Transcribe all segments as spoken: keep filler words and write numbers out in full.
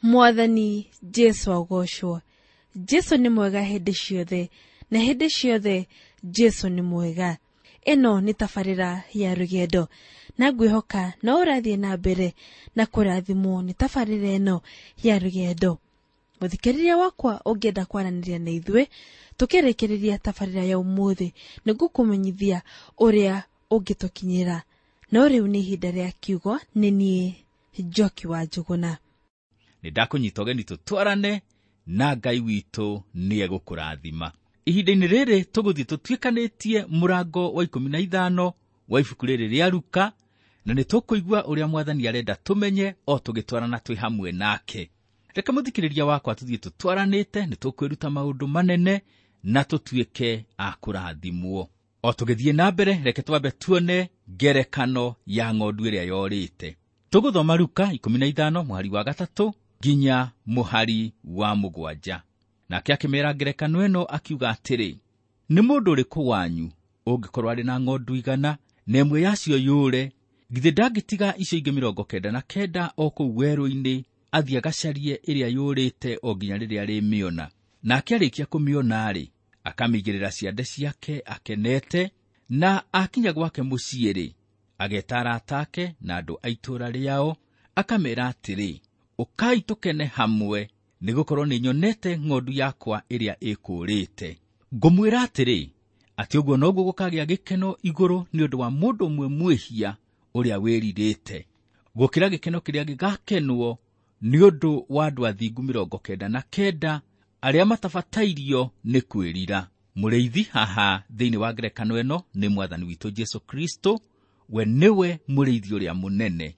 Mwathani Jesu agocwo. Jesu nĩ mwega hĩndĩ ciothe, na hĩndĩ ciothe Jesu nĩ mwega. Ĩno nĩ tabarĩra ya rũgendo, na ngwĩhoka no ũrathiĩ na mbere na kũrathimwo nĩ tabarĩra ĩno ya rũgendo. Mũthikĩrĩria wakwa, ũngĩenda kwaranĩria na ithuĩ tũkĩrĩkĩrĩria tabarĩra ya ũmũthĩ, nĩngũkũmenyithia ũrĩa ũngĩtũkinyĩra. No rĩu nĩ ihinda rĩa kiugo, nĩ niĩ Njoki wa Njũgũna. Nĩ ndakũnyita ũgeni tũtwarane na Ngai witũ nĩ egũkũrathima. Ihinda-inĩ rĩrĩ tũgũthiĩ tũtuĩkanĩtie mũrango wa ikũmi na ithano wa ibuku rĩrĩ rĩa Luka, na nĩ tũkũigua ũrĩa Mwathani arenda tũmenye o tũgĩtwarana twĩ hamwe nake. Reke mũthikĩrĩria wakwa tũthiĩ tũtwaranĩte, nĩ tũkwĩruta maũndũ manene na tũtuĩke a kũrathimwo. O tũgĩthiĩ na mbere, reke twambe tuone ngerekano ya ng'ondu ĩrĩa yorĩte. Tũgũthoma Luka ikũmi na ithano mũhari wa gatatũ nginya mũhari wa mũgwanja. Nake akĩmeera ngerekano ĩno akiuga atĩrĩ, nĩ mũndũ ũrĩkũ wanyu ũngĩkorwo arĩ na ng'ondu igana na ĩmwe yacio yũre, githĩ ndangĩtiga icio ingĩ mĩrongo kenda na kenda o kũu werũ-inĩ athiĩ agacarie ĩrĩa yũrĩte o nginya rĩrĩa arĩmĩona? Nake arĩkia kũmĩona-rĩ, akamĩigĩrĩra ciande ciake akenete, na akinya gwake mũciĩ-rĩ, ageta arata ake na andũ a itũũra rĩao, akameera atĩrĩ, ũkai tũkene hamwe, nĩgũkorwo nĩnyonete ng'ondu yakwa ĩrĩa ĩkũũrĩte. Ngũmwĩra atĩrĩ, atĩ ũguo noguo gũkagĩa gĩkeno igũrũ nĩ ũndũ wa mũndũ ũmwe mwĩhia ũrĩa wĩrirĩte, gũkĩra gĩkeno kĩrĩa gĩgakenwo nĩ ũndũ wa andũ athingu mĩrongo kenda na kenda arĩa matabatairio nĩ kwĩrira. Mũrĩithi haha thĩinĩ wa ngerekano ĩno nĩ Mwathani witũ Jesu Kristo, we nĩwe mũrĩithi ũrĩa mũnene.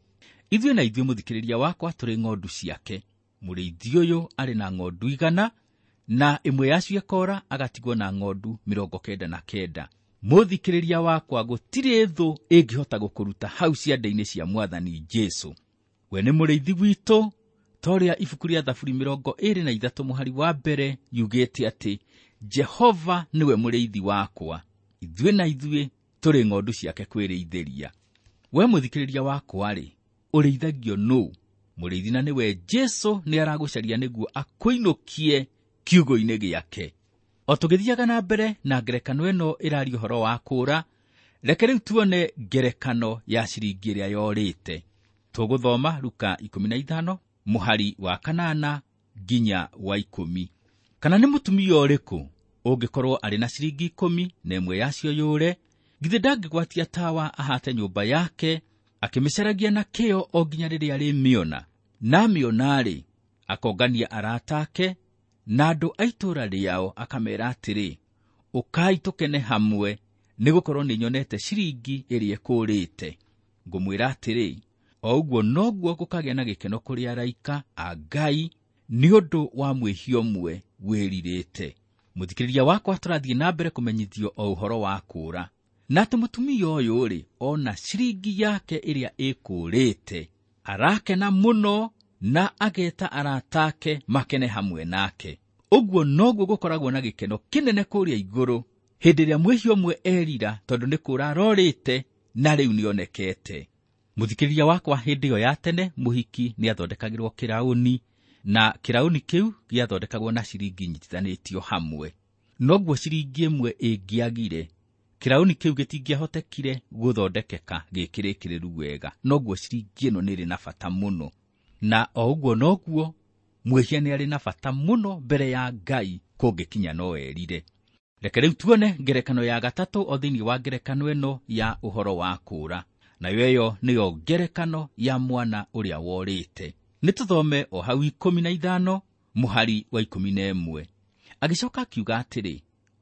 Ithuĩ na ithuĩ mũthikĩrĩria wakwa tũrĩ ng'ondu ciake. Mũrĩithi ũyũ arĩ na ng'ondu igana, na ĩmwe yacio ĩkora, agatigwo na ng'ondu mĩrongo kenda na kenda. Mũthikĩrĩria wakwa, gũtirĩ thũ ĩngĩhota gũkũruta hau ciande-inĩ cia Mwathani Jesu. We nĩ mũrĩithi witũ, ta ũrĩa ibuku rĩa Thaburi mĩrongo ĩĩrĩ na ithatũ mũhari wa mbere yugĩte atĩ Jehova nĩwe mũrĩithi wakwa, ithuĩ na ithuĩ tũrĩ ng'ondu ciake kwĩrĩithĩria. We mũthikĩrĩria wakwa-rĩ, ũrĩithagio nũ? Mũrĩithi na nĩwe Jesu nĩ aragũcaria nĩguo akũinũkie kiugo-inĩ gĩake. O tũgĩthiaga na mbere na ngerekano ĩno ĩraria ũhoro wa kũũra, reke rĩu tuone ngerekano ya ciringi ĩrĩa yorĩte. Tũgũthoma Luka ikũmi na ithano mũhari wa kanana nginya wa ikũmi. Kana nĩ mũtumia ũrĩkũ ũngĩkorwo arĩ na ciringi ikũmi na ĩmwe yacio yũre, githĩ ndangĩgwatia tawa ahate nyũmba yake akĩmĩcaragia na kĩyo o nginya rĩrĩa arĩmĩona? Na amĩona-rĩ, akongania arata ake na andũ a itũũra rĩao, akameera atĩrĩ, ũkai tũkene hamwe, nĩgũkorwo nĩnyonete ciringi ĩrĩa ĩkũũrĩte. Ngũmwĩra atĩrĩ, o ũguo noguo gũkagĩa na gĩkeno kũrĩ araika a Ngai nĩ ũndũ wa mwĩhia ũmwe wĩrirĩte. Mũthikĩrĩria wakwa, tũrathiĩ na mbere kũmenyithio o ũhoro wa kũũra. Na atĩ mũtumia ũyũ-rĩ, ona ciringi yake ĩrĩa ĩkũũrĩte, arakena mũno na ageta arata ake makene hamwe nake. Ũguo noguo gũkoragwo na gĩkeno kĩnene kũrĩa igũrũ hĩndĩ ĩrĩa mwĩhia ũmwe erira, tondũ nĩ kũũra arorĩte na rĩu nĩonekete. Mũthikĩrĩria wakwa, hĩndĩ ĩyo ya tene mũhiki nĩathondekagĩrwo kĩraũni, na kĩraũni kĩu gĩathondekagwo na ciringi nyitithanĩtio hamwe. Noguo ciringi ĩmwe ĩngĩagire, kĩraũni kĩu gĩtingĩahotekire gũthondekeka gĩkĩrĩkĩrĩru wega. Noguo ciringi ĩno nĩrĩ na bata mũno. Na o ũguo noguo mwĩhia nĩ arĩ na bata mũno mbere ya Ngai kũngĩkinya no erire. Reke rĩu tuone ngerekano ya gatatũ o thĩinĩ wa ngerekano ĩno ya ũhoro wa kũũra. Nayo ĩyo nĩyo ngerekano ya mwana ũrĩa worĩte. Nĩ tũthome o hau ikũmi na ithano mũhari wa ikũmi na ĩmwe. Agĩcoka akiuga atĩrĩ,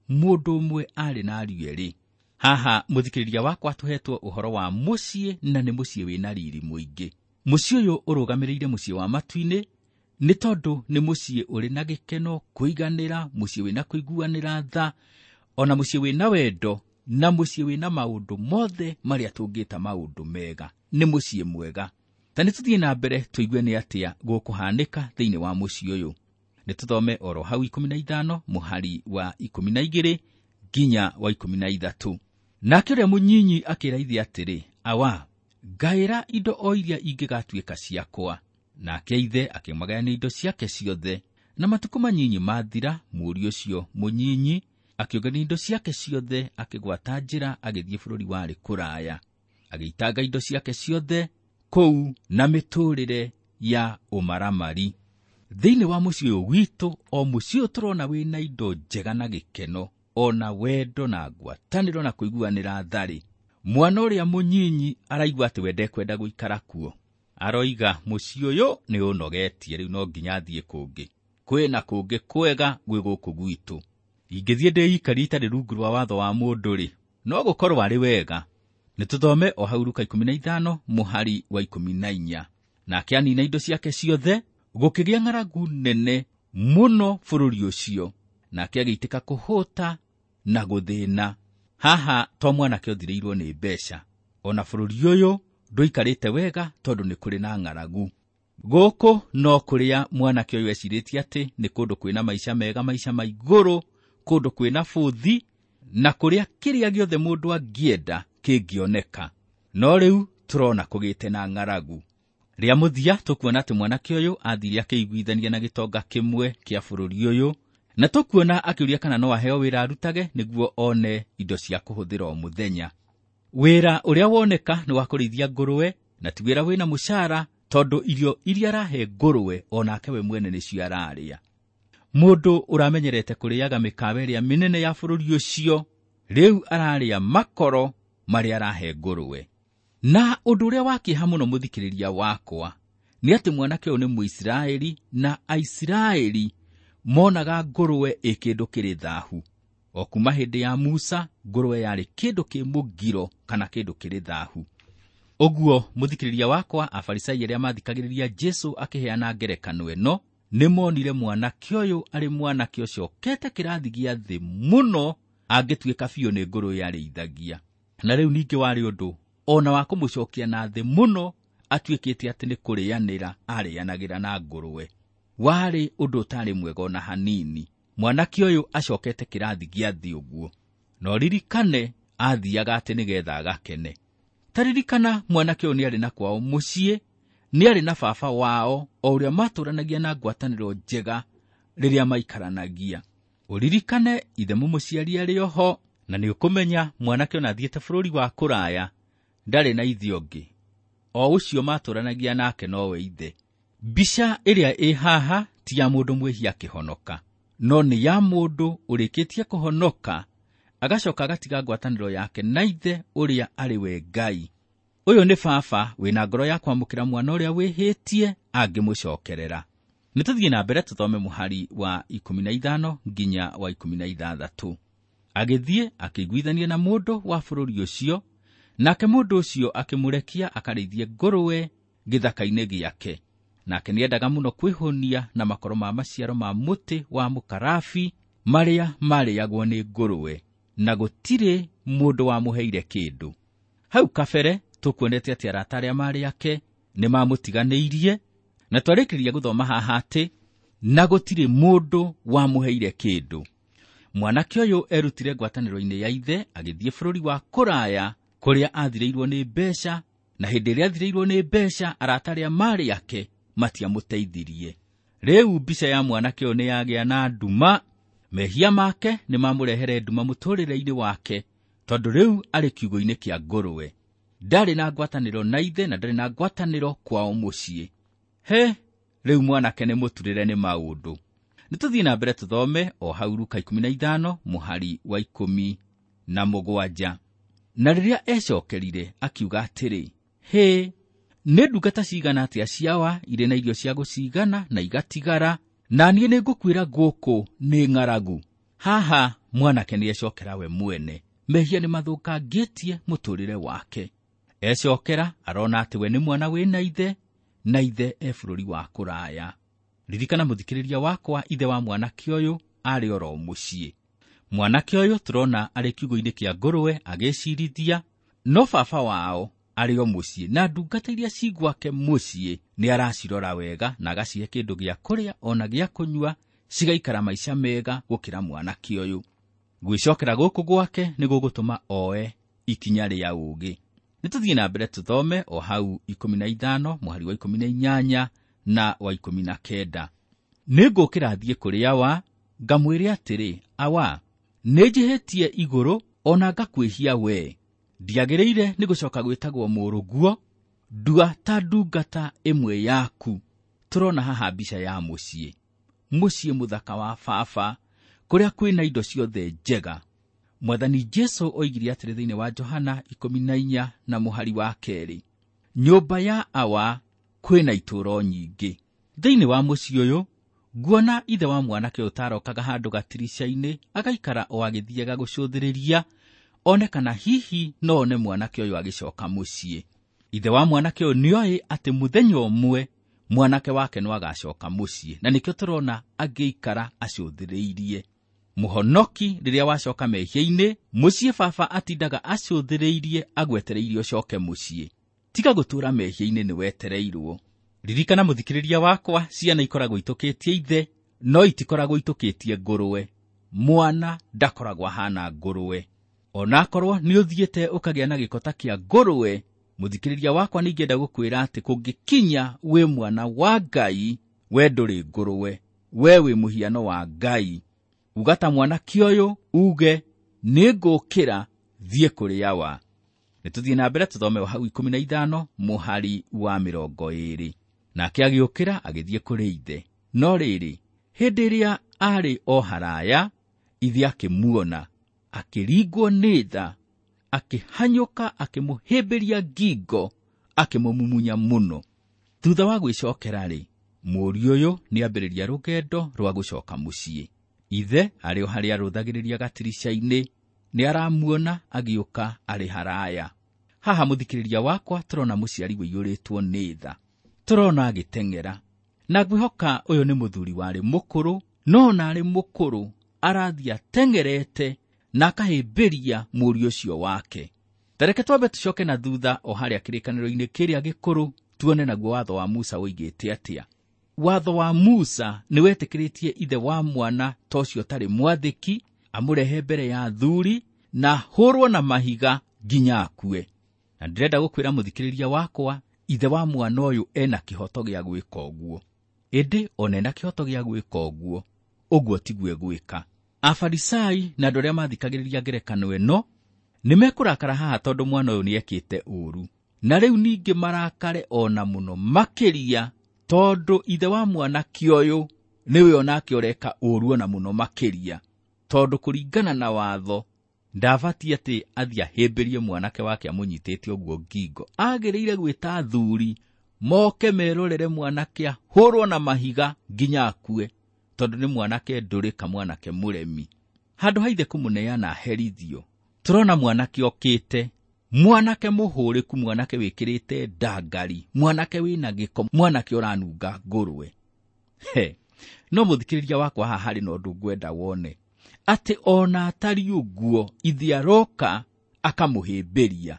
mũndũ ũmwe arĩ na ariũ erĩ. Haha mũthikĩrĩria wakwa tũhetwo ũhoro wa mũciĩ, na nĩ mũciĩ wĩna riri mũingĩ. Mũciĩ ũyũ ũrũgamĩrĩire mũciĩ wa matu-inĩ, nĩ tondũ nĩ mũciĩ ũrĩ na gĩkeno, kũiganĩra, mũciĩ wĩna kũiguanĩra tha, ona mũciĩ wĩna wendo, na mũciĩ wĩna maũndũ mothe marĩa tũngĩta maũndũ mega. Nĩ mũciĩ mwega. Ta nĩ tũthiĩ na mbere tũigue nĩ atĩa gũkũhanĩka thĩinĩ wa mũciĩ ũyũ. Nĩ tũthome oro hau ikũmi na ithano mũhari wa ikũmi na igĩrĩ nginya wa ikũmi na ithatũ. Nake ũrĩa mũnyinyi akĩra ithe atĩrĩ, awa, ngaĩra indo o iria ingĩgatuĩka ciakwa. Nake ithe akĩmũgayania indo ciake ciothe. Na matukũ manyinyi mathira, mũriũ ũcio mũnyinyi akĩũngania indo ciake ciothe, akĩgwata njĩra agĩthiĩ bũrũri warĩ kũraya, agĩitanga indo ciake ciothe kũu na mĩtũrĩre ya ũmaramari. Thĩinĩ wa mũciĩ ũyũ witũ, o mũciĩ ũyũ tũrona wĩna indo njega na gĩkeno, ona wendo na ngwatanĩro na kũiguanĩra tharĩ, mwana ũrĩa mũnyinyi araigua atĩ we ndekwenda gũikara kuo. Aroiga mũciĩ ũyũ nĩ ũnogetie, rĩu no nginya athiĩ kũngĩ, kwĩna kũngĩ kwega gwĩ gũkũ gwitũ. Ingĩthiĩ ndĩikarie itarĩ rungu rwa watho wa mũndũ rĩ, no gũkorwo arĩ wega. Nĩ tũthome o hau Luka ikũmi na ithano mũhari wa ikũmi na inya. Nake anina indo ciake ciothe, gũkĩgĩa ng'aragu nene mũno bũrũri ũcio, nake agĩitĩka kũhũta na gũthĩna. Haha to mwanake ũthirĩirwo nĩ mbeca, ona bũrũri ũyũ ndũikarĩte wega tondũ nĩ kũrĩ na ng'aragu. Gũkũ no kũrĩa mwanake ũyũ ecirĩtie atĩ nĩ kũndũ kwĩna maica mega, maica ma igũrũ, kũndũ kwĩna bũthi, na kũrĩa kĩrĩa gĩothe mũndũ angĩenda kĩngĩoneka. No rĩu tũrona kũgĩte na ng'aragu. Rĩa mũthia tũkuona atĩ mwanake ũyũ athire akĩiguithania na gĩtonga kĩmwe kĩa bũrũri ũyũ, na tũkuona akĩũria kana no aheo wĩra arutage nĩguo one indo cia kũhũthĩra o mũthenya. Wĩra ũrĩa woneka nĩ wa kũrĩithia ngũrwe, na ti wĩra wĩna mũcara, tondũ irio iria arahe ngũrwe onake we mwene nĩcio ararĩa. Mũndũ ũramenyerete kũrĩaga mĩkawa ĩrĩa mĩnene ya bũrũri ũcio, rĩu ararĩa makoro marĩa arahe ngũrwe. Na ũndũ ũrĩa wa kĩeha mũno mũthikĩrĩria wakwa nĩ atĩ mwanake ũyũ nĩ Mũisiraeli, na Aisiraeli monaga ngũrwe ĩ kĩndũ kĩrĩ thahu. O kuma hĩndĩ ya Musa, ngũrwe yarĩ kĩndũ kĩ mũgiro kana kĩndũ kĩrĩ thahu. Ũguo mũthikĩrĩria wakwa, Afarisai arĩa mathikagĩrĩria Jesũ akĩheana ngerekano ĩno nĩ monire mwanake ũyũ arĩ mwanake ũcokete kĩrathi gĩa thĩ mũno, angĩtuĩka biũ nĩ ngũrwe yarĩithagia. Na rĩu ningĩ warĩ ũndũ ona wa kũmũcokia na thĩ mũno, atuĩkĩte atĩ nĩ kũrĩanĩra arĩanagĩra na ngũrwe. Warĩ ũndũ ũtarĩ mwega ona hanini. Mwanake ũyũ acokete kĩrathi gĩa thĩ ũguo. No ririkane athiaga atĩ nĩgetha agakene. Ta ririkana mwanake ũyũ nĩarĩ na kwao mũciĩ, nĩarĩ na baba wao o ũrĩa matũranagia na ngwatanĩro njega rĩrĩa maikaranagia. Ũririkane ithe mũmũciari arĩ oho, na nĩũkũmenya mwanake ona athiĩte bũrũri wa kũraya ndarĩ na ithe ũngĩ, o ũcio matũranagia nake nowe ithe. Mbica ĩrĩa ĩ haha ti ya mũndũ mwĩhia akĩhonoka, no nĩ ya mũndũ ũrĩkĩtie kũhonoka agacoka agatiga ngwatanĩro yake na ithe ũrĩa arĩ we Ngai. Ũyũ nĩ baba wĩna ngoro ya kwamũkĩra mwana ũrĩa wĩhĩtie angĩmũcokerera. Nĩ tũthiĩ na mbere tũthome mũhari wa ikũmi na ithano nginya wa ikũmi na ithathatũ. Agĩthiĩ akĩiguithania na mũndũ wa bũrũri ũcio, nake mũndũ ũcio akĩmũrekia akarĩithie ngũrwe gĩthaka-inĩ gĩake. Nake nĩendaga mũno kwĩhũnia na makoro ma maciaro ma mũtĩ wa mũkarabi marĩa marĩagwo nĩ ngũrwe, na gũtirĩ mũndũ wamũheire kĩndũ. Hau kabere tũkuonete atĩ arata arĩa marĩ ake nĩmamũtiganĩirie, na twarĩkĩrĩria gũthoma haha atĩ na gũtirĩ mũndũ wamũheire kĩndũ. Mwanake ũyũ erutire ngwatanĩro-inĩ ya ithe agĩthiĩ bũrũri wa kũraya kũrĩa athirĩirwo nĩ mbeca, na hĩndĩ ĩrĩa athirĩirwo nĩ mbeca arata arĩa marĩ ake matiamũteithirie. Rĩu mbica ya mwanake ũyũ nĩyagĩa na nduma. Mehia make nĩmamũrehere nduma mũtũrĩre-inĩ wake, tondũ rĩu arĩ kiugũ-inĩ kĩa ngũrwe. Ndarĩ na ngwatanĩro na ithe na ndarĩ na ngwatanĩro kwao mũciĩ. He, rĩu mwanake nĩ mũturĩre nĩ maũndũ. Nĩ tũthiĩ na mbere tũthome o hau Luka ikũmi na ithano mũhari wa ikũmi na mũgwanja. Na rĩrĩa ecokerire akiuga atĩrĩ, hĩ, nĩ ndungata cigana atĩa ciawa irĩ na irio cia gũcigana na igatigara, na niĩ nĩngũkwĩra gũkũ nĩ ng'aragu. Haha mwanake nĩecokera we mwene. Mehia nĩmathũkangĩtie mũtũrĩre wake. Ecokera arona atĩ we nĩ mwana wĩna ithe, na ithe e bũrũri wa kũraya. Ririkana mũthikĩrĩria wakwa, ithe wa mwanake ũyũ arĩ oro mũciĩ. Mwanake ũyũ tũrona arĩ kiugũ-inĩ kĩa ngũrwe agĩcirithia, no baba wao arĩ o mũciĩ, na ndungata iria ci gwake mũciĩ nĩ aracirora wega na agacihe kĩndũ gĩa kũrĩa ona gĩa kũnyua, cigaikara maica mega gũkĩra mwanake ũyũ. Gwĩcokera gũkũ gwake nĩ gũgũtũma oe ikinya rĩa ũũgĩ. Nĩ tũthiĩ na mbere tũthome o hau ikũmi na ithano mũhari wa ikũmi na inyanya na wa ikũmi na kenda. Nĩngũkĩra thiĩ kũrĩ awa, ngamwĩre atĩrĩ, awa, nĩnjĩhĩtie igũrũ ona ngakwĩhia we. Ndiagĩrĩire nĩ gũcoka gwĩtagwo mũrũguo, ndua ta ndungata ĩmwe yaku. Tũrona haha mbica ya mũciĩ, mũciĩ mũthaka wa baba, kũrĩa kwĩna indo ciothe njega. Mwathani Jesũ oigire atĩrĩ thĩinĩ wa Johana ikũmi na inya na mũhari wa kerĩ, nyũmba ya awa kwĩna itũũro nyingĩ. Thĩinĩ wa mũciĩ ũyũ nguona ithe wa mwanake ũtarokaga handũ gatirica-inĩ, agaikara o agĩthiaga gũcũthĩrĩria one kana hihi no one mwanake ũyũ agĩcoka mũciĩ. Ithe wa mwanake ũyũ nĩoĩ atĩ mũthenya ũmwe mwanake wake no agacoka mũciĩ, na nĩkĩo tũrona agĩikara acũthĩrĩirie. Mũhonoki rĩrĩa wacoka mehia-inĩ, mũciĩ baba atindaga acũthĩrĩirie agwetereirie ũcoke mũciĩ. Tiga gũtũũra mehia-inĩ nĩ wetereirwo. Ririkana mũthikĩrĩria wakwa, ciana ikoragwo itũkĩtie ithe, no itikoragwo itũkĩtie ngũrwe. Mwana ndakoragwo ahana ngũrwe. Onakorwo nĩ ũthiĩte ũkagĩa na gĩko ta kĩa ngũrwe, mũthikĩrĩria wakwa nĩingĩenda gũkwĩra atĩ kũngĩkinya wĩ mwana wa Ngai, we ndũrĩ ngũrwe, we wĩ mũhiano wa Ngai. Uga ta mwanake ũyũ, uge nĩngũkĩra thiĩ kũrĩ awa. Nĩtũthiĩ na mbere tũthome o hau ikũmi na ithano mũhari wa mĩrongo ĩĩrĩ. Nake agĩũkĩra agĩthiĩ kũrĩ ithe. No rĩrĩ, hĩndĩ ĩrĩa aarĩ o haraya, ithe akĩmuona, akĩringwo nĩ tha, akĩhanyũka akĩmũhĩmbĩria ngingo, akĩmũmumunya mũno. Thutha wa gwĩcokera-rĩ, mũriũ ũyũ nĩambĩrĩria rũgendo rwa gũcoka mũciĩ. Ithe arĩ o harĩa arũthagĩrĩria gatirica-inĩ, nĩaramuona agĩũka arĩ haraya. Haha mũthikĩrĩria wakwa tũrona mũciari ũiyũrĩtwo nĩ tha. Tũrona agĩteng'era. Na ngwĩhoka ũyũ nĩ mũthuri warĩ mũkũrũ, no ona arĩ mũkũrũ arathiĩ ateng'erete na akahĩmbĩria mũriũ ũcio wake. Ta reke twambe tũcoke na thutha o harĩa kĩrĩkanĩro-inĩ kĩrĩa gĩkũrũ, tuone naguo watho wa Musa ũigĩte atĩa. Watho wa Musa nĩwetĩkĩrĩtie ithe wa mwana ta ũcio ũtarĩ mwathĩki amũrehe mbere ya athuri na hũrwo na mahiga nginya akue. Na ndĩrenda gũkwĩra mũthikĩrĩria wakwa, ithe wa mwana ũyũ ena kĩhoto gĩa gwĩka ũguo. Ĩndĩ ona ena kĩhoto gĩa gwĩka ũguo, ũguo tiguo egwĩka. Afarisai na andũ arĩa mathikagĩrĩria ngerekano ĩno nĩmekũrakara haha tondũ mwana ũyũ nĩekĩte ũũru. Na rĩu ningĩ marakare ona mũno makĩria tondũ ithe wa mwanake ũyũ nĩwe onake ũreka ũũru ona mũno makĩria, tondũ kũringana na watho ndabatiĩ atĩ athiĩ ahĩmbĩrie mwanake wake amũnyitĩte ũguo ngingo. Agĩrĩire gwĩta athuri moke merorere mwanake ahũrwo na mahiga nginya akue, tondũ nĩ mwanake ndũrĩka, mwanake mũremi. Handũ ha ithe kũmũneana aherithio, tũrona mwanake okĩte, mwanake mũhũrĩku, mwanake wĩkĩrĩte ndangari, mwanake wĩna gĩko, mwanake ũranunga ngũrwe. He, no mũthikĩrĩria wakwa haha harĩ na ũndũ ngwenda wone, atĩ ona atari ũguo ithe aroka akamũhĩmbĩria.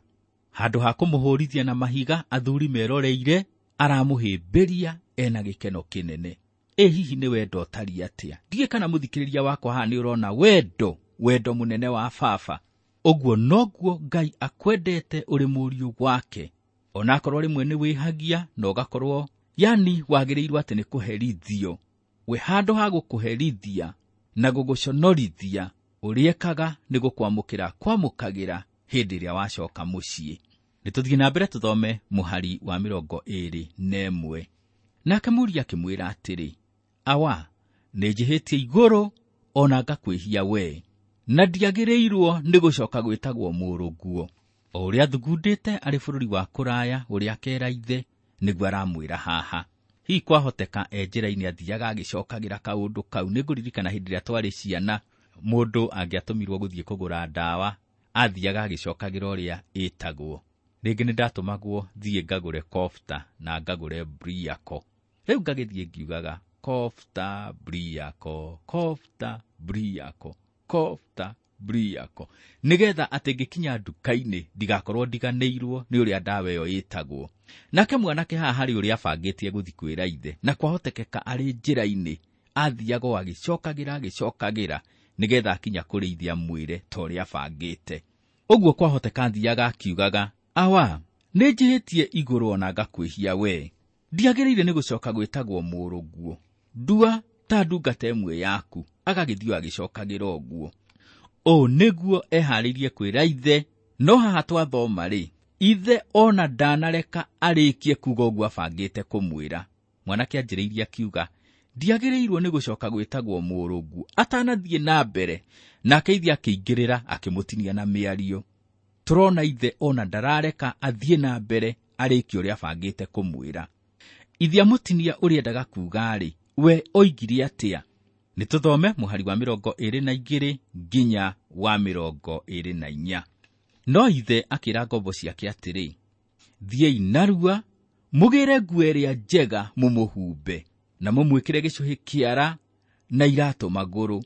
Handũ ha kũmũhũrithia na mahiga athuri meroreire, aramũhĩmbĩria ena gĩkeno kĩnene. Ĩ hihi nĩ wendo ũtariĩ atĩa? Ndiũĩ kana mũthikĩrĩria wakwa haha nĩ ũrona wendo, wendo mũnene wa baba. Ũguo noguo Ngai akwendete ũrĩ mũriũ wake. Onakorwo rĩmwe nĩ wĩhagia na ũgakorwo yani wagĩrĩirwo atĩ nĩ kũherithio, we handũ ha gũkũherithia na gũgũconorithia, ũrĩa ekaga nĩ gũkwamũkĩra kwamũkagĩra hĩndĩ ĩrĩa wacoka mũciĩ. Nĩtũthiĩ na mbere tũthome mũhari wa mĩrongo ĩĩrĩ na ĩmwe. Nake mũriũ akĩmwĩra atĩrĩ, awa, nĩnjĩhĩtie igũrũ ona ngakwĩhia we, na ndiagĩrĩirwo nĩ gũcoka gwĩtagwo mũrũguo. O ũrĩa athugundĩte arĩ bũrũri wa kũraya, ũrĩa akera ithe, nĩguo aramwĩra haha. Hihi kwahoteka e njĩra-inĩ athiaga agĩcokagĩra kaũndũ kau. Nĩngũririkana hĩndĩ ĩrĩa twarĩ ciana, mũndũ angĩatũmirwo gũthiĩ kũgũra ndawa, athiaga agĩcokagĩra ũrĩa ĩtagwo. Rĩngĩ nĩndatũmagwo thiĩ ngagũre kofta na ngagũre briako. Rĩu ngagĩthiĩ ngiugaga kofta briako, kofta briako, kofta briako, nĩgetha atĩ ngĩkinya nduka-inĩ ndigakorwo ndiganĩirwo nĩ ũrĩa ndawa ĩyo ĩtagwo. Nake mwanake haha harĩ ũrĩa abangĩtie gũthiĩ kwĩra ithe, na kwahotekeka arĩ njĩra-inĩ athiaga o agĩcokagĩra agĩcokagĩra nĩgetha akinya kũrĩ ithe amwĩre ta ũrĩa abangĩte. Ũguo kwahoteka athiaga akiugaga, awa, nĩnjĩhĩtie igũrũ ona ngakwĩhia we, Ndiagĩrĩire nĩ gũcoka gwĩtagwo mũrũguo, ndua ta ndungata ĩmwe yaku. Agagĩthiĩ agĩcokagĩra ũguo. Ũũ nĩguo eharĩirie kwĩra ithe, no haha twathoma rĩ, ithe ona ndanareka arĩkie kuga ũguo abangĩte kũmwĩra. Mwanake anjĩrĩirie akiuga, ndiagĩrĩirwo nĩ gũcoka gwĩtagwo mũrũguo. Atanathiĩ na mbere, nake ithe akĩingĩrĩra akĩmũtinia na mĩario. Tũrona ithe ona ndarareka athiĩ na mbere arĩkie ũrĩa abangĩte kũmwĩra. Ithe amũtinia ũrĩa endaga kuga-rĩ, we oigire atĩa? Nĩ tũthome mũhari wa mĩrongo ĩrĩ na igĩrĩ nginya wa mĩrongo ĩrĩ na inya. No ithe akĩra ngombo ciake atĩrĩ, thiĩi narua mũgĩre nguo ĩrĩa njega mũmũhumbe, na mũmwĩkĩre gĩcũhĩ kĩara na iratũ magũrũ.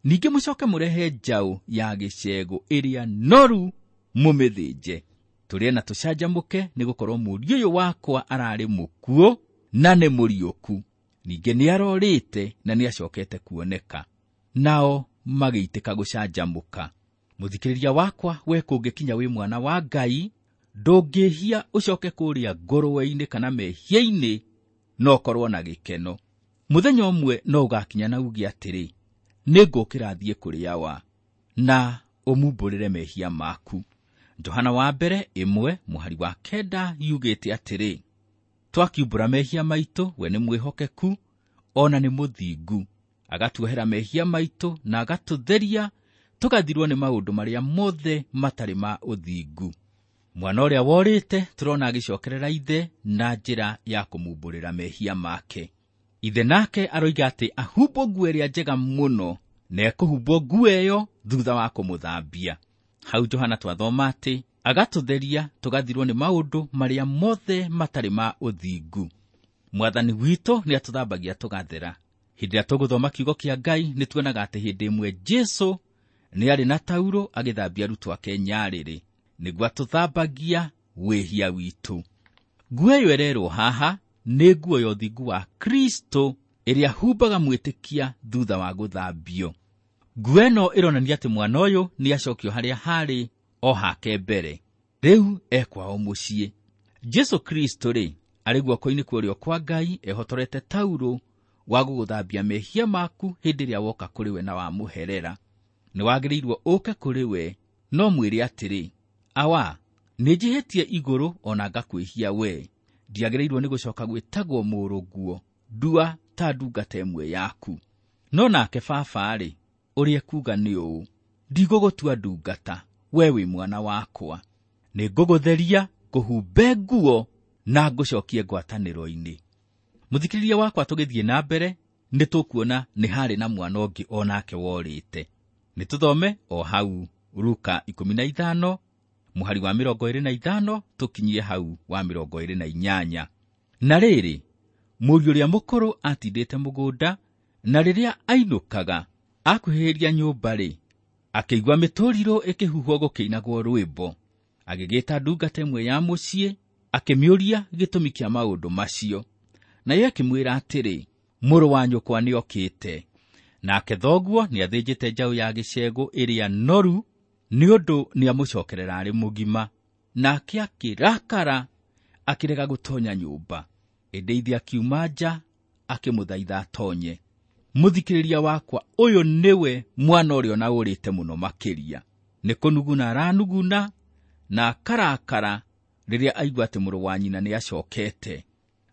Ningĩ mũcoke mũrehe njaũ ya gĩcegũ ĩrĩa noru mũmĩthĩnje, tũrĩe na tũcanjamũke, nĩgũkorwo mũriũ ũyũ wakwa ararĩ mũkuũ na nĩ mũriũku, ningĩ nĩarorĩte na nĩacokete kuoneka. Nao magĩitĩka gũcanjamũka. Mũthikĩrĩria wakwa, we kũngĩkinya wĩ mwana wa Ngai, ndũngĩhia ũcoke kũrĩa ngũrwe-inĩ kana mehia-inĩ, no ũkorwo na gĩkeno. Mũthenya ũmwe no ũgakinya na uge atĩrĩ, nĩngũkĩra thiĩ kũrĩ awa, na ũmumbũrĩre mehia maku. Johana wa mbere ĩmwe mũhari wa kenda yugĩte atĩrĩ, twakiumbũra mehia maitũ, we nĩ mwĩhokeku ona nĩ mũthingu, agatuohera mehia maitũ na agatũtheria tũgathirwo nĩ maũndũ marĩa mothe matarĩ ma ũthingu. Mwana ũrĩa worĩte tũrona agĩcokerera ithe na njĩra ya kũmumbũrĩra mehia make. Ithe nake aroiga atĩ ahumbwo nguo ĩrĩa njega mũno, na ekũhumbwo nguo ĩyo thutha wa kũmũthambia. Hau Johana twathoma atĩ agatũtheria tũgathirwo nĩ maũndũ marĩa mothe matarĩ ma ũthingu. Mwathani witũ nĩ atũthambagia tũgathera. Hĩndĩ ĩrĩa tũgũthoma kiugo kĩa Ngai nĩ tuonaga atĩ hĩndĩ ĩmwe Jesũ nĩ arĩ na taurũ agĩthambia arutwo ake nyarĩrĩ, nĩguo atũthambagia wĩhia witũ. Nguo ĩyo ĩrerwo haha nĩ nguo ya ũthingu wa Kristo ĩrĩa humbaga mwĩtĩkia thutha wa gũthambio. Nguo ĩno ĩronania atĩ mwana ũyũ nĩ acokio harĩa harĩ o hake mbere, rĩu ekwao mũciĩ. Jesũ Kristo rĩ, arĩ guoko-inĩ kwa ũrĩo kwa Ngai ehotorete taurũ wa gũgũthambia mehia maku hĩndĩ ĩrĩa woka kũrĩ we na wamũherera. Nĩ wagĩrĩirwo ũke kũrĩ we, no mwĩre atĩrĩ, awa, nĩ njĩhĩtie igũrũ ona ngakwĩhia we, ndiagĩrĩirwo nĩ gũcoka gwĩtagwo mũrũguo, ndua ta ndungata ĩmwe yaku. No nake baba-rĩ, ũrĩa ekuuga nĩ ũũ, ndigũgũtua ndungata, we wĩ mwana wakwa, nĩ ngũgũtheria, ngũhumbe nguo na ngũcokie ngwatanĩro-inĩ. Mũthikĩrĩria wakwa, tũgĩthiĩ na mbere nĩ tũkuona nĩ harĩ na mwana ũngĩ o nake worĩte. Nĩ tũthome o hau Luka ikũmi na ithano mũhari wa mĩrongo ĩrĩ na ithano tũkinyie hau wa mĩrongo ĩrĩ na inyanya. Na rĩrĩ, mũriũ ũrĩa mũkũrũ atindĩte mũgũnda, na rĩrĩa ainũkaga akuhĩrĩria nyũmba-rĩ, akĩigua mĩtũrirũ ĩkĩhuhwo gũkĩinagwo rwĩmbo. Agĩgĩta ndungata ĩmwe ya mũciĩ, akĩmĩũria gĩtũmi kĩa maũndũ macio. Nayo ĩkĩmwĩra atĩrĩ, mũrũ wa nyũkwa nĩokĩte, nake thoguo nĩathĩnjĩte njaũ ya gĩcegũ ĩrĩa noru, nĩ ũndũ nĩamũcokerera arĩ mũgima. Nake akĩrakara, akĩrega gũtonya nyũmba. Ĩndĩ ithe akiuma nja, akĩmũthaitha atonye. Mũthikĩrĩria wakwa, ũyũ nĩwe mwana ũrĩa ona ũrĩte mũno makĩria. Nĩ kũnuguna aranuguna na akarakara rĩrĩa aigua atĩ mũrũ wa nyina nĩacokete.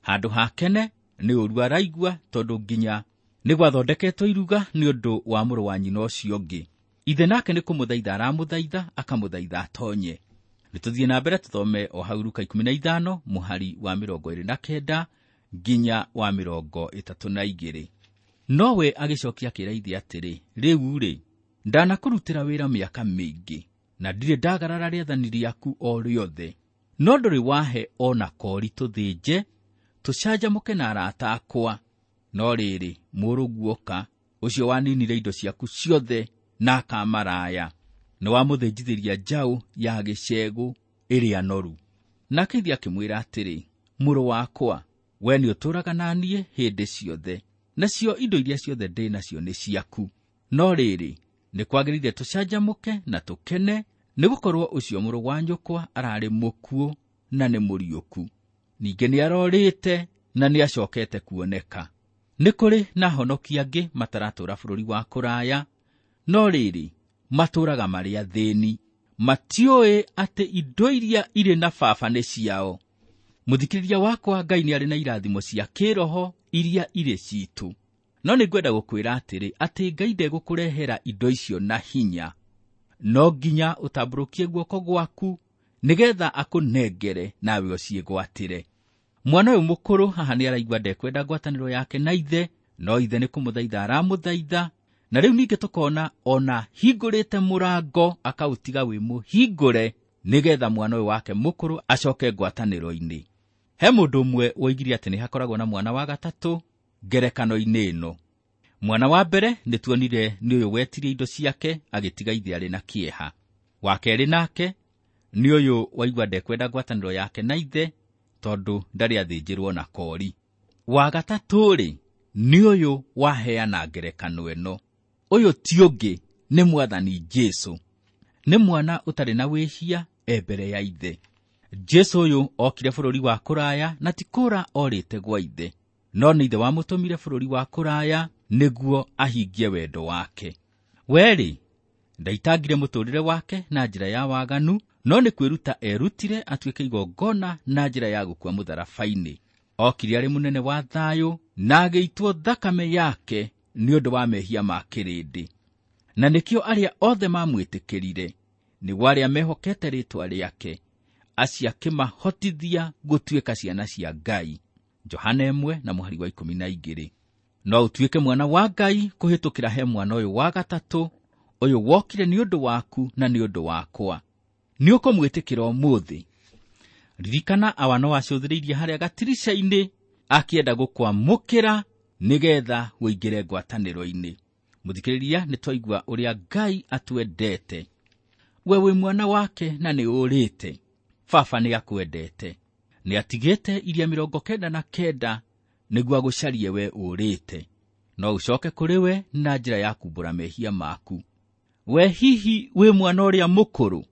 Handũ hakene nĩ ũru araigua, tondũ nginya nĩ gwathondeketwo iruga nĩ ũndũ wa mũrũ wa nyina ũcio ũngĩ. Ithe nake nĩ kũmũthaitha aramũthaitha, akamũthaitha atonye. Nĩ tũthiĩ na mbere tũthome o hau Luka ikũmi na ithano mũhari wa mĩrongo ĩrĩ na kenda nginya wa mĩrongo ĩtatũ na igĩrĩ. Nowe agĩcokia akĩra ithe atĩrĩ, rĩu-rĩ, ndanakũrutĩra wĩra mĩaka mĩingĩ, na ndirĩ ndagarara rĩathani rĩaku o rĩothe, no ndũrĩ wahe o na kori tũthĩnje tũcanjamũke na arata akwa. No rĩrĩ, mũrũguo oka, ũcio waninire indo ciaku ciothe na akamaraya, nĩ wamũthĩnjithĩria njaũ ya gĩcegũ ĩrĩa noru. Nake ithe akĩmwĩra atĩrĩ, mũrũ wakwa, we nĩ ũtũũraga na niĩ hĩndĩ ciothe, nacio indo iria ciothe ndĩ nacio nĩ ciaku. No rĩrĩ, nĩ kwagĩrĩire tũcanjamũke na tũkene, nĩgũkorwo ũcio mũrũ wa nyũkwa ararĩ mũkuũ na nĩ mũriũku, ningĩ nĩarorĩte na nĩacokete kuoneka. Nĩ kũrĩ na ahonokia angĩ mataratũũra bũrũri wa kũraya, no rĩrĩ matũũraga marĩ athĩni, matiũĩ atĩ indo iria irĩ na baba nĩ ciao. Mũthikĩrĩria wakwa, Ngai nĩ arĩ na irathimo cia kĩroho iria irĩ citũ, no nĩ ngwenda gũkwĩra atĩrĩ, atĩ Ngai ndegũkũrehera indo icio na hinya. No nginya ũtambũrũkie guoko gwaku nĩgetha akũnengere nawe ũciĩgwatĩre. Mwana ũyũ mũkũrũ haha nĩ araigua ndekwenda ngwatanĩro yake na ithe, no ithe nĩ kũmũthaitha aramũthaitha. Na rĩu ningĩ tũkona ona hingũrĩte mũrango akaũtiga wĩ mũhingũre nĩgetha mwana ũyũ wake mũkũrũ acoke ngwatanĩro-inĩ. He mũndũ ũmwe woigire atĩ nĩ hakoragwo na mwana wa gatatũ ngerekano-inĩ ĩno. Mwana wa mbere nĩ tuonire nĩ ũyũ wetirie indo ciake agĩtiga ithe arĩ na kĩeha. Wa kerĩ nake nĩ ũyũ waigua ndekwenda ngwatanĩro yake na ithe tondũ ndarĩ athĩnjĩrwo na kori. Wa gatatũ-rĩ nĩ ũyũ waheana ngerekano ĩno. Ũyũ ti ũngĩ nĩ Mwathani Jesũ. Nĩ mwana ũtarĩ na wĩhia e mbere ya ithe. Jesũ ũyũ okire bũrũri wa kũraya na ti kũra orĩte gwa ithe, no nĩ ithe wamũtũmire bũrũri wa kũraya nĩguo ahingie wendo wake. Werĩ ndaitangire mũtũũrĩre wake na njĩra ya waganu, no nĩ kwĩruta erutire atuĩke igongona na njĩra ya gũkua mũtharaba-inĩ. Okire arĩ mũnene wa thayũ na agĩitwo thakame yake nĩ ũndũ wa mehia ma kĩrĩndĩ. Na nĩkĩo arĩa othe mamwĩtĩkĩrire, nĩguo arĩa mehokete rĩĩtwa rĩake, acio akĩmahotithia gũtuĩka ciana cia Ngai. Johana ĩmwe na mũhari wa ikũmi na igĩrĩ. No ũtuĩke mwana wa Ngai kũhĩtũkĩra he mwana ũyũ wa gatatũ, ũyũ wokire nĩ ũndũ waku na nĩ ũndũ wakwa. Nĩ ũkũmwĩtĩkĩra ũmũthĩ. Ririkana awa no acũthĩrĩirie harĩa gatirica-inĩ akĩenda gũkwamũkĩra nĩgetha ũingĩre ngwatanĩro-inĩ. Mũthikĩrĩria, nĩ twaigua ũrĩa Ngai atwendete. We wĩ mwana wake na nĩ ũrĩte. Baba nĩ akwendete. Nĩ atigĩte iria mĩrongo kenda na kenda nĩguo agũcarie we ũrĩte. No ũcoke kũrĩ we na njĩra ya kumbũra mehia maku. We hihi wĩ mwana ũrĩa mũkũrũ?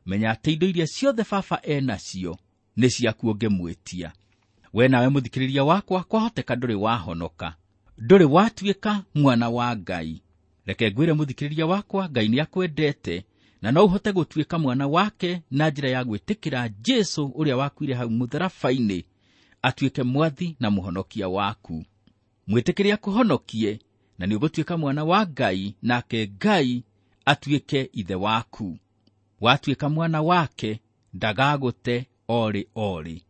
Menya atĩ indo iria ciothe baba enacio nĩ ciaku ũngĩmwĩtia. We nawe mũthikĩrĩria wakwa, kwahoteka ndũrĩ wahonoka, ndũrĩ watuĩka mwana wa Ngai. Reke ngwĩre mũthikĩrĩria wakwa, Ngai nĩ akwendete na no ũhote gũtuĩka mwana wake na njĩra ya gwĩtĩkĩra Jesũ ũrĩa wakuire hau mũtharaba-inĩ atuĩke mwathi na mũhonokia waku. Mwĩtĩkĩre akũhonokie na nĩ ũgũtuĩka mwana wa Ngai, nake Ngai atuĩke ithe waku. Watuĩka mwana wake ndagagũte orĩ orĩ.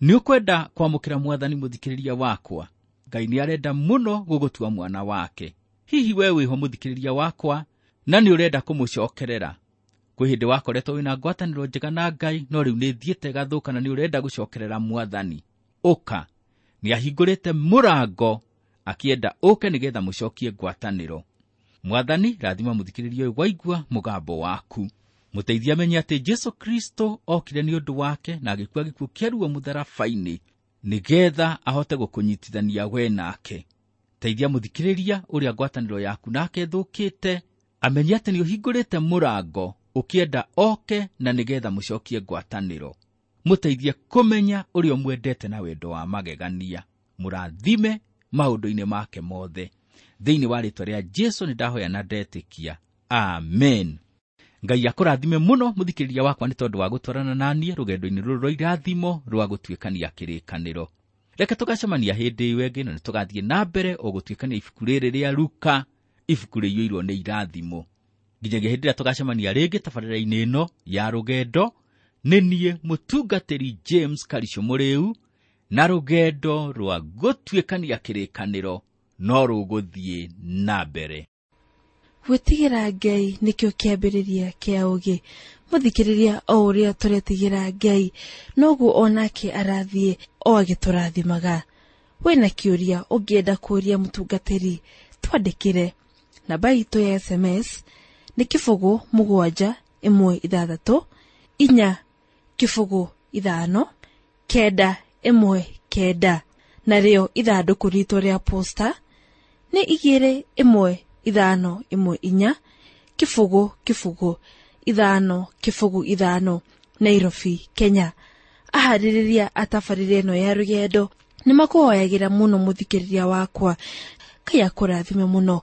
Nĩ ũkwenda kwamũkĩra Mwathani mũthikĩrĩria wakwa? Ngai nĩ arenda mũno gũgũtua mwana wake. Hihi we wĩho mũthikĩrĩria wakwa na nĩ ũrenda kũmũcokerera? Kwĩ hĩndĩ wakoretwo wĩna ngwatanĩro njega na Ngai, no rĩu nĩ thiĩte gathũka na nĩ ũrenda gũcokerera Mwathani. Ũka, nĩ ahingũrĩte mũrango akĩenda ũke nĩgetha mũcokie ngwatanĩro. Mwathani, rathima mũthikĩrĩria ũyũ waigua mũgambo waku. Mũteithie amenye atĩ Jesũ Kristo okire nĩ ũndũ wake na agĩkua gĩkuũ kĩa ruo mũtharaba-inĩ nĩgetha ahote gũkũnyitithania we nake. Teithia mũthikĩrĩria ũrĩa ngwatanĩro yaku nake ĩthũkĩte amenye atĩ nĩ ũhingũrĩte mũrango ũkĩenda oke na nĩgetha mũcokie ngwatanĩro. Mũteithie kũmenya ũrĩa ũmwendete na wendo wa magegania. Mũrathime maũndũ-inĩ make mothe. Thĩinĩ wa rĩĩtwa rĩa Jesũ nĩ ndahoya na ndetĩkia. Amen. Ngai akũrathime mũno mũthikĩrĩria wakwa nĩ tondũ wa gũtwarana na niĩ rũgendo-inĩ rũrũ rwa irathimo rwa gũtuĩkania kĩrĩkanĩro. Reke tũgacemania hĩndĩ ĩyo ĩngĩ na nĩ tũgathiĩ na mbere o gũtuĩkania ibuku rĩrĩ rĩa Luka, ibuku rĩiyũirwo nĩ irathimo. Nginyagia hĩndĩ ĩrĩa tũgacemania rĩngĩ tabarĩra-inĩ ĩno ya rũgendo, nĩ niĩ mũtungatĩri James Karisho Mũrĩu, na rũgendo rwa gũtuĩkania kĩrĩkanĩro no rũgũthiĩ na mbere. Gwĩtigĩra Ngai nĩkĩo kĩambĩrĩria kĩa ũũgĩ. Mũthikĩrĩria, o ũrĩa tũretigĩra Ngai noguo onake arathiĩ o agĩtũrathimaga. Wĩna kĩũria ũngĩenda kũũria mũtungatĩri, twandĩkĩre. Namba itũ ya S M S nĩ kĩbũgũ mũgwanja ĩmwe ithathatũ inya kĩbũgũ ithano kenda ĩmwe kenda, narĩo ithandũkũ ritũ rĩa posta nĩ igĩrĩ ĩmwe ithano ĩmwe inya kĩbũgũ kĩbũgũ ithano kĩbũgũ ithano, Nairobi, Kenya. Aharĩrĩria atabarĩre ĩno ya rũgendo Nĩ makũhoyagĩra mũno mũthikĩrĩria wakwa. Ngai akũrathime mũno.